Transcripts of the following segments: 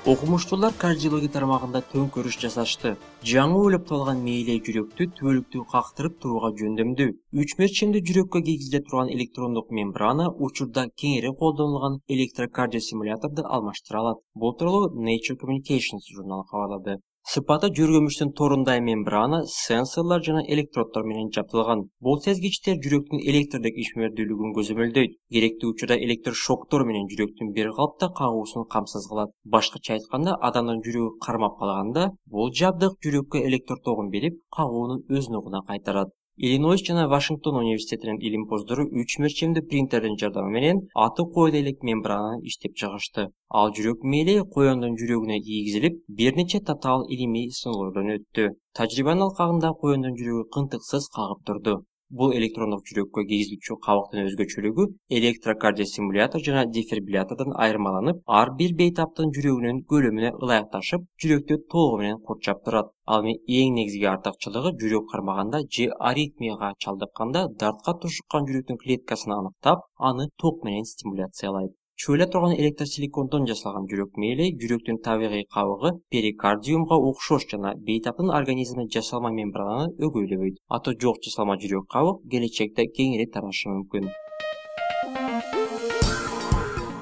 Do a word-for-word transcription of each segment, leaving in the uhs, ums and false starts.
Окумуштуулар кардиология тармагында төңкөрүш жасашты. Жаңы ойлоп табылган мээлей жүрөктү түбөлүктүү кактырып турууга жөндөмдүү. Үч мерчемдүү жүрөккө кийгизиле турган электрондук мембрана учурда кеңири колдонулган электрокардиосимуляторду алмаштыра алат. Бул тууралуу Nature Communications журналы кабарлады. Сыпаты жүргүмүштүн торундай мембрана, сенсорлор жана электроддор менен жабдылган. Бул сезгичтер жүрөктүн электрдик ишмердүүлүгүн көзөмөлдөйт. Керектүү учурда электрошоктор менен жүрөктүн бир калыпта кагуусун камсыз кылат. Башкача айтканда, адамдын жүрөгү кармап калганда, бул жабдык жүрөккө электр тогун берип, кагууну өз нугуна кайтарат. Иллинойс жана Вашингтон университетинин илимпоздору үч мерчемдүү принтердин жардамы менен аты коюла элек мембрананы иштеп чыгышты. Ал жүрөк мээли коёндун жүрөгүнө кийгизилип, бир нече татаал илимий сыноолордон өттү. Тажрыйбанын алкагында коёндун жүрөгү кынтыксыз кагып турду. Бул электрондук жүрөккө кийгизилүүчү кабыктын өзгөчөлүгү электрокардиосимулятор жана дефибриллятордон айырмаланып, ар бир бейтаптын жүрөгүнүн көлөмүнө ылайыкташып, жүрөктү толугу менен курчап турат. Ал эми эң негизги артыкчылыгы жүрөк кармаганда же аритмияга чалдыкканда дартка тушуккан жүрөктүн клеткасын аныктап, аны ток менен стимуляциялайт. Чөйлө турган электросиликондон жасалган жүрөк мээли жүрөктүн табигый кабыгы перикардиумга окшош жана бейтаптын организмине жасалма мембрананы өгөйлөбөйт. Аты жок жасалма жүрөк кабык келечекте кеңири тарашы мүмкүн.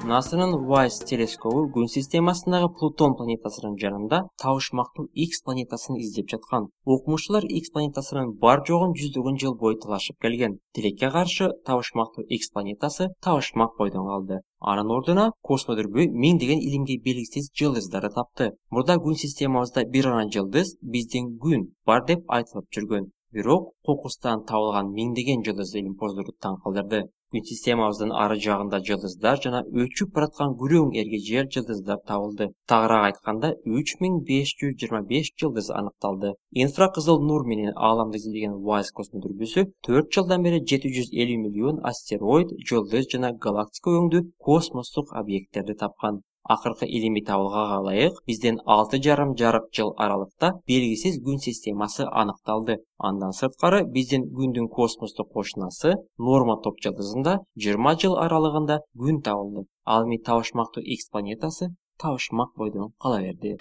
НАСАнын WISE телескобу күн системасындагы Плутон планетасынын жанында табышмактуу X планетасын издеп жаткан. Окумуштуулар X планетасынын бар жогун жүздөгөн жыл бою талашып келген. Тилекке каршы табышмактуу X планетасы табышмак бойдон калды. Анын ордуна космодүрбү миңдеген илимге белгисиз жылдыздарды тапты. Мурда күн системабызда бир гана жылдыз, биздин күн бар деп айтылып жүргөн. Бирок кокустан табылган миңдеген жылдыз илимпоздорду таң калтырды. Күн системабыздын ары жагында жылдыздар жана өчүп бараткан күрөң эргежер жылдыздар табылды. Тагыраак айтканда, үч миң беш жүз жыйырма беш жылдыз аныкталды. Инфракызыл нур менен ааламды изилдеген WISE космодүрбүсү төрт жылдан бери жети жүз элүү миллион астероид, жылдыз жана галактика өңдүү космостук объекттерди тапкан. Акыркы илимий табылгага ылайык бизден алты жарым жарык жыл аралыкта белгисиз күн системасы аныкталды. Андан сырткары биздин күндүн космостук кошунасы Норма топ жылдызында жыйырма жыл аралыгында күн табылды. Ал эми табышмактуу X планетасы табышмак бойдон кала берди.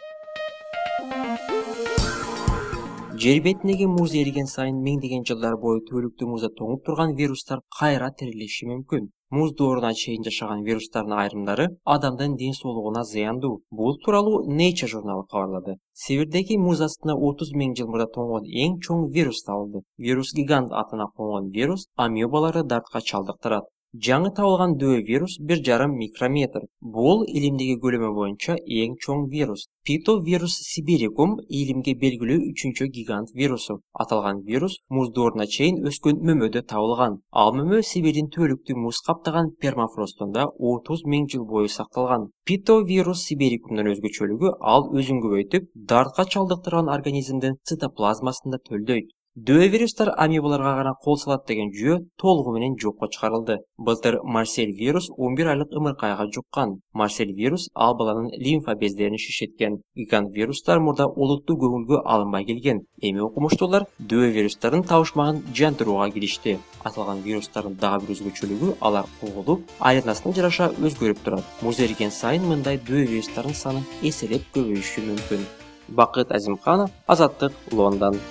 Жер бетиндеги муз эриген сайын миңдеген жылдар бою түбөлүктүү музда тоңуп турган вирустар кайра тирилиши мүмкүн. Муз дооруна чейин жашаган вирустардын айрымдары адамдын ден соолугуна зыяндуу. Бул тууралуу Nature журналы кабарлады. Сибирдеги муз астында отуз миң жыл мурда тоңгон эң чоң вирус табылды. Вирус гигант атына конгон вирус амебаларды дартка чалдыктырат. Жаңы табылган дөө вирус бир жарым микрометр. Бул илимдеги көлөмү боюнча эң чоң вирус. Питовирус сибирикум илимге белгилүү үчүнчү гигант вирусу. Аталган вирус муз дооруна чейин өскөн мөмөдө табылган. Ал мөмө Сибирдин түбөлүктүү муз каптаган пермафростунда отуз миң жыл бою сакталган. Питовирус сибирикумдун өзгөчөлүгү ал өзүн көбөйтүп, дартка чалдыктырган организмдин цитоплазмасында төлдөйт. Дөө вирустар амебаларга гана кол салат деген жүйө толугу менен жокко чыгарылды. Былтыр Марсель вирус он бир айлык ымыркайга жуккан. Марсель вирус ал баланын лимфа бездерин шишеткен. Гигант вирустар мурда олуттуу көңүлгө алынбай келген. Эми окумуштуулар дөө вирустардын табышмагын жантырууга киришти. Аталган вирустардын дагы бир өзгөчөлүгү алар куулуп, айланасына жараша өзгөрүп турат. Муз эриген сайын мындай дөө вирустардын саны эселеп көбөйүшү мүмкүн. Бакыт Азимканов, Азаттык, Лондон.